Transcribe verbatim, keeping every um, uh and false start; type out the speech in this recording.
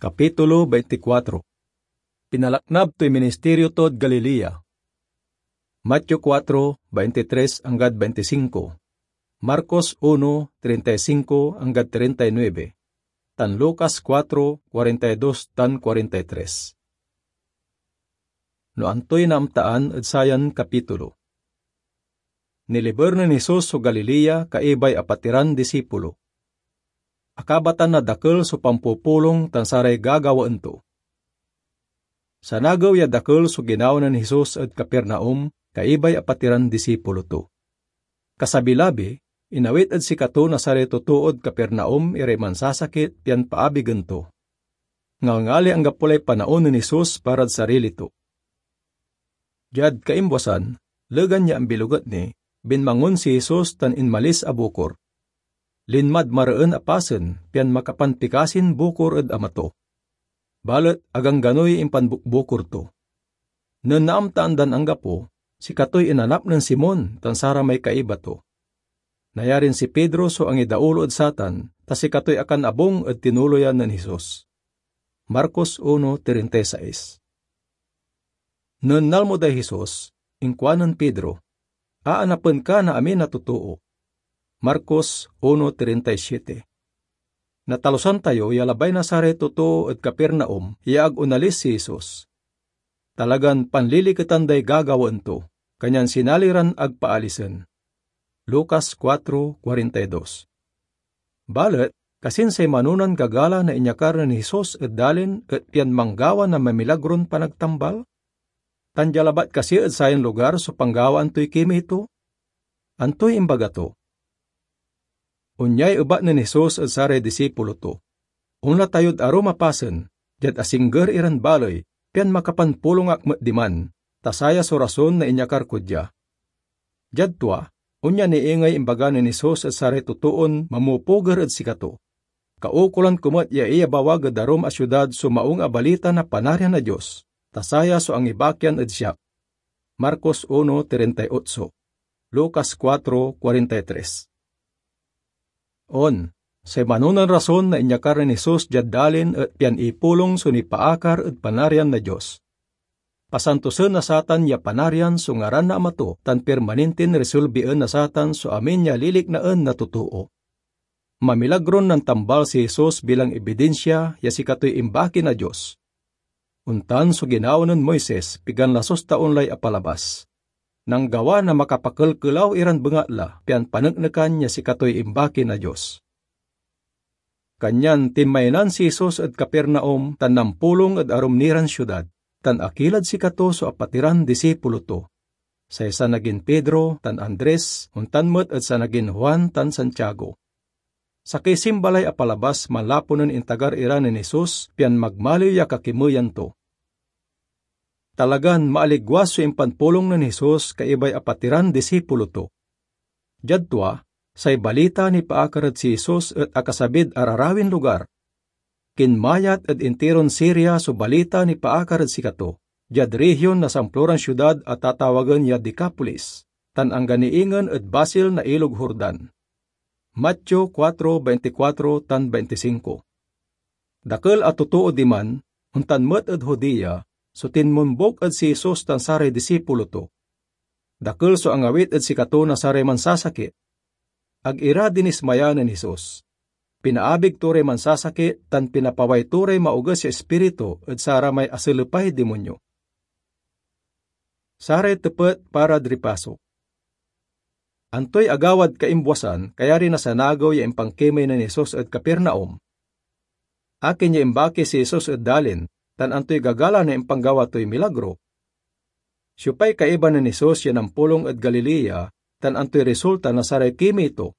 Kapitulo veinticuatro. Pinalaknab toy ministerio tod Galilea. Mateo cuatro, veintitres anggad veinticinco, Marcos uno, treinta y cinco anggad treinta y nueve, tan Lucas cuatro, cuarenta y dos tan cuarenta y tres. No antoy naamtaan ed sayan kapitulo. Niliber nen Jesus so Galilea kaibay apatiran disipulo. Akabatan na dakel so pampupulong tan saray gagawaen to. Sanagew ya dakel so ginawa nen Jesus ed Capernaum kaibay apatiran disipulo to. Kasabi-labi, inawit ed sikato na saray totood Capernaum iray mansasakit pian paabigen to. Ngalngali anggapo lay panaon nen Jesus parad sarili to. Diad kaimbuasan, legan ya ambiloget ni, binmangon si Jesus tan inmalis a bukor. Linmad mareen a pasen pian makapanpikasin bukor ed ama to. Balet agangganoy impanbukbukor to. Nen naamtaan dan anggapo, sikatoy inanap nen Simon tan saramay kaiba to. Nayarin si Pedro so angidaolo ed satan, ta sikatoy akanabung ed tinuloyan nen Jesus. Marcos uno treinta y seis. Nen nalmo day Jesus, inkuanen Pedro, "Aanapen ka na amin a totoo." Marcos uno treinta y siete. Natalusan tayo ya labay na saray totoo ed Capernaum ya ag onalis si Jesus. Talagan panliliketan day gagawaen to, kanyan sinali ran ag paalisen. Lucas cuatro cuarenta y dos. Balet, kasin say manonan gagala na inyakar nen Jesus ed dalin et pian manggawa na mamilagron panagtambal? Tan dia labat kasi ed sayan lugar so panggawaan toy kimey to? Antoy imbaga to? Onyay ebat nen Jesus ed saray disipulo to, "Onla tayod arum a pasen, diad asingger iran baley, pian makapanpulong ak met diman, ta saya so rason na inyakar kod dia." Diad tua, onya ni ingey imbaga nen Jesus ed saray totoon mamupuger ed sikato, "Kaukolan ko met ya iyabawag ed arum a siudad so Maung a Balita na Panarian na Dios, ta saya so angibakian ed siak." Marcos uno treinta y ocho, Lucas cuatro cuarenta y tres. On, say manonan rason na inyakar nen Jesus diad dalin et pian ipulong so nipaakar ed Panarian na Dios. Pasantosen na satan ya Panarian so ngaran na Ama to tan permanenten resolbien na satan so amin ya liliknaen na totoo. Mamilagron nantambal si Jesus bilang ebidinsia ya sikatoy imbaki na Dios. Ontan so ginawa nen Moises pigan lasus ta onlay apalabas. Nanggawa na makapakelkelaw iran bengatla pian paneknekan ya sikatoy imbaki na Dios. Kanyan tinmaynan si Jesus ed Capernaum tan nampulong ed arum niran siudad, tan akilad sikato so apatiran disipulo to, say sanagin Pedro tan Andres, ontan met ed sanagin Juan tan Santiago. Sakey simbalay apalabas manlapu nen intagar ira nen Jesus pian magmaliw ya kakimeyan to. Talagan maaligwas so impanpulong nen Jesus kaibay apatiran disipulo to. Diad tua, say balita nipaakar ed si Jesus et akasabid ararawin lugar. Kinmayat ed intiron Siria so balita nipaakar ed sikato, diad rehion na samploran siudad a tatawagen ya Decapolis, tan anggan ni ingen ed basil na Ilog Jordan. Mateo cuatro veinticuatro tan veinticinco. Dakel a totoo diman, ontan met ed Judea, so tinmombuk ed si Jesus tan saray disipulo to. Dakel so angawit ed sikato na saray mansasakit. Ag ira dinismaya nen Jesus. Pinaabig to ray mansasakit tan pinapaway to ray maoges ya ispiritu ed saramay aselepay dimonyo. Saray tepet parad ripaso. Antoy agawad kaimbuasan kayari na sanagew ya impankimey nen Jesus ed Capernaum? Akin ya imbaki si Jesus ed dalin, tan antoy gagala na impanggawa toy milagro? Siopay kaiba nen Jesus ya nampulong ed Galilea, tan antoy resulta na saray kimey to?